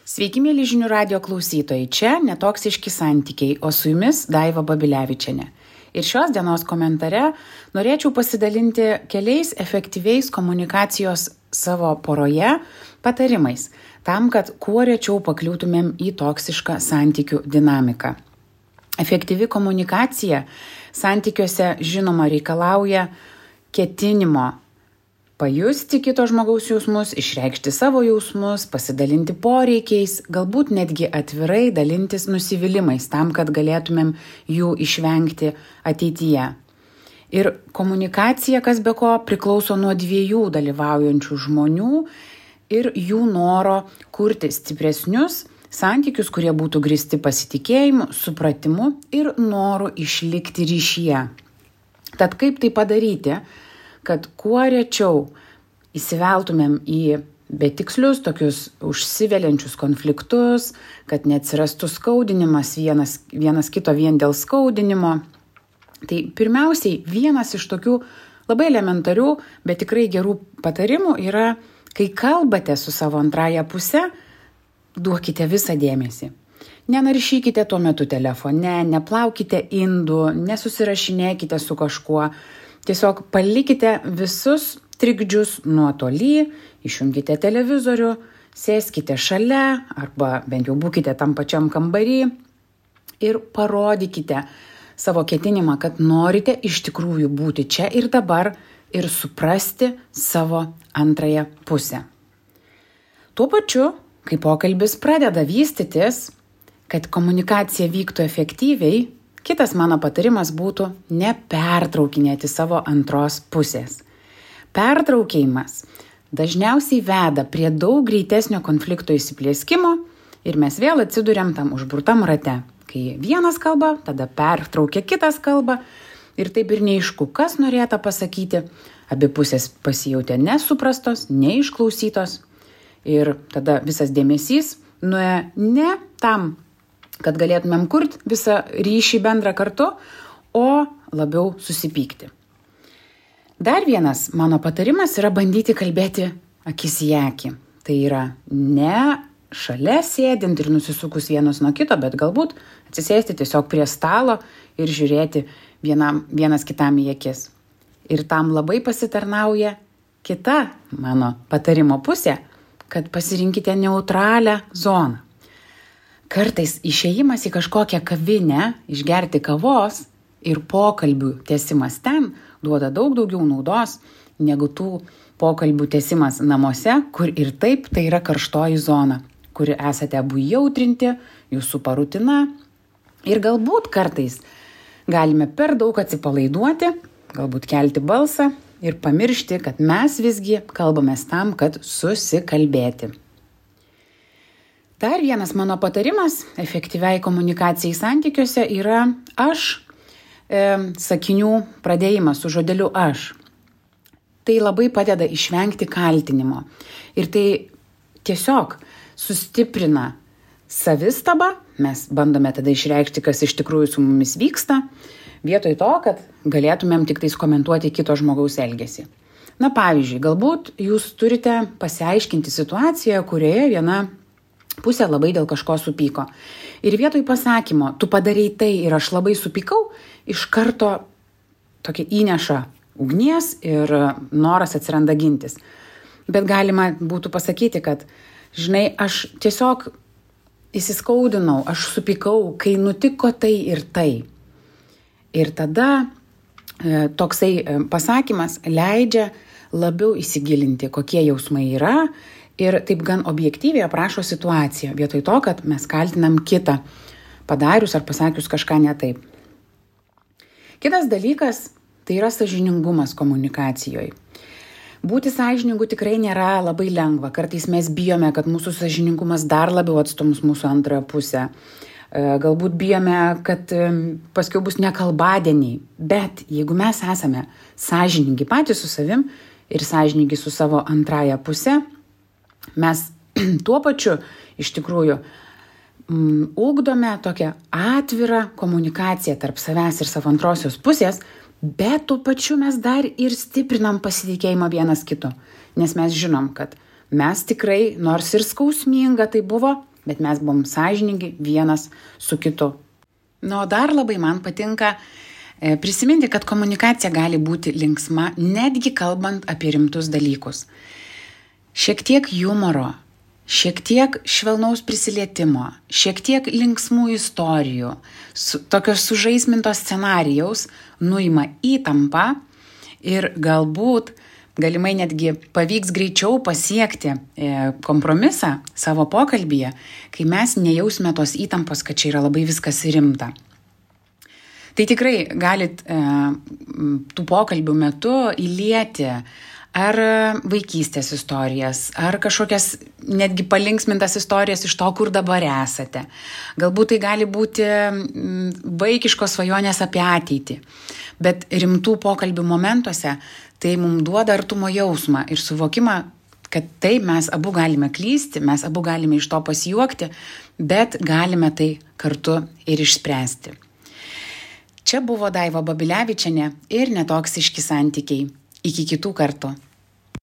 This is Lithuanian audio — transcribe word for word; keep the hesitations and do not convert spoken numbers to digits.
Sveiki, mėly žinių radio klausytojai, čia netoksiški santykiai, o su jumis Daiva Babilevičienė. Ir šios dienos komentare norėčiau pasidalinti keliais efektyviais komunikacijos savo poroje patarimais, tam, kad kuo rečiau pakliūtumėm į toksišką santykių dinamiką. Efektyvi komunikacija santykiuose žinoma reikalauja ketinimo pajusti kito žmogaus jausmus, išreikšti savo jausmus, pasidalinti poreikiais, galbūt netgi atvirai dalintis nusivylimais tam, kad galėtumėm jų išvengti ateityje. Ir komunikacija, kas be ko, priklauso nuo dviejų dalyvaujančių žmonių ir jų noro kurti stipresnius santykius, kurie būtų grįsti pasitikėjimu, supratimu ir noru išlikti ryšyje. Tad kaip tai padaryti, kad kuo rečiau įsiveltumėm į betikslius, tokius užsiveliančius konfliktus, kad neatsirastų skaudinimas vienas, vienas kito vien dėl skaudinimo. Tai pirmiausiai vienas iš tokių labai elementarių, bet tikrai gerų patarimų yra, kai kalbate su savo antrąja puse, duokite visą dėmesį. Nenaršykite tuo metu telefone, neplaukite indų, nesusirašinėkite su kažkuo. Tiesiog palikite visus trikdžius nuotoly, išjungkite televizorių, sėskite šalia arba bent jau būkite tam pačiam kambarį ir parodykite savo ketinimą, kad norite iš tikrųjų būti čia ir dabar ir suprasti savo antrąją pusę. Tuo pačiu, kai pokalbis pradeda vystytis, kad komunikacija vyktų efektyviai, kitas mano patarimas būtų nepertraukinėti savo antros pusės. Pertraukėjimas dažniausiai veda prie daug greitesnio konflikto įsiplieskimo ir mes vėl atsiduriam tam užburtam rate. Kai vienas kalba, tada pertraukia kitas kalba ir taip ir neaišku, kas norėta pasakyti. Abi pusės pasijautė nesuprastos, neišklausytos ir tada visas dėmesys nuėjo ne tam, kad galėtumėm kurti visą ryšį bendrą kartu, o labiau susipykti. Dar vienas mano patarimas yra bandyti kalbėti akis į akį. Tai yra ne šalia sėdint ir nusisukus vienas nuo kito, bet galbūt atsisėsti tiesiog prie stalo ir žiūrėti vienam, vienas kitam į akis. Ir tam labai pasitarnauja kita mano patarimo pusė, kad pasirinkite neutralią zoną. Kartais išėjimas į kažkokią kavinę, išgerti kavos ir pokalbių tęsimas ten duoda daug daugiau naudos negu tų pokalbių tęsimas namuose, kur ir taip tai yra karštoji zona, kuri esate abu jautrinti, jūsų parutina ir galbūt kartais galime per daug atsipalaiduoti, galbūt kelti balsą ir pamiršti, kad mes visgi kalbamės tam, kad susikalbėti. Dar vienas mano patarimas efektyviai komunikacijai santykiuose yra aš e, sakinių pradėjimas su žodeliu aš. Tai labai padeda išvengti kaltinimo ir tai tiesiog sustiprina savistabą, mes bandome tada išreikšti, kas iš tikrųjų su mumis vyksta, vietoj to, kad galėtumėm tik tais komentuoti kito žmogaus elgesį. Na pavyzdžiui, galbūt jūs turite pasiaiškinti situaciją, kurioje viena pusė labai dėl kažko supyko. Ir vietoj pasakymo, tu padarei tai ir aš labai supykau, iš karto tokia įneša ugnies ir noras atsiranda gintis. Bet galima būtų pasakyti, kad, žinai, aš tiesiog įsiskaudinau, aš supykau, kai nutiko tai ir tai. Ir tada e, toksai e, pasakymas leidžia labiau įsigilinti, kokie jausmai yra, ir taip gan objektyviai aprašo situaciją, vietoj to, kad mes kaltinam kitą, padarius ar pasakius kažką ne taip. Kitas dalykas tai yra sąžiningumas komunikacijoje. Būti sąžiningu tikrai nėra labai lengva. Kartais mes bijome, kad mūsų sąžiningumas dar labiau atstums mūsų antrąją pusę. Galbūt bijome, kad paskiau bus nekalbadieniai. Bet jeigu mes esame sąžiningi patys su savim ir sąžiningi su savo antrąją pusę, mes tuo pačiu iš tikrųjų mm, ugdome tokią atvirą komunikaciją tarp savęs ir savo antrosios pusės, bet tuo pačiu mes dar ir stiprinam pasitikėjimą vienas kitu, nes mes žinom, kad mes tikrai, nors ir skausminga tai buvo, bet mes buvom sąžiningi vienas su kitu. Nu, o dar labai man patinka e, prisiminti, kad komunikacija gali būti linksma, netgi kalbant apie rimtus dalykus. Šiek tiek humoro, šiek tiek švelnaus prisilietimo, šiek tiek linksmų istorijų, su, tokios sužaismintos scenarijaus nuima įtampą ir galbūt galimai netgi pavyks greičiau pasiekti e, kompromisą savo pokalbyje, kai mes nejausime tos įtampos, kad čia yra labai viskas rimta. Tai tikrai galit e, tų pokalbių metu įlieti ar vaikystės istorijas, ar kažkokias netgi palinksmintas istorijas iš to, kur dabar esate. Galbūt tai gali būti vaikiškos svajonės apie ateitį, bet rimtų pokalbių momentuose tai mums duoda artumo jausmą ir suvokimą, kad taip mes abu galime klysti, mes abu galime iš to pasijuokti, bet galime tai kartu ir išspręsti. Čia buvo Daiva Babilevičienė ir Netoksiški santykiai. Iki kitų kartų.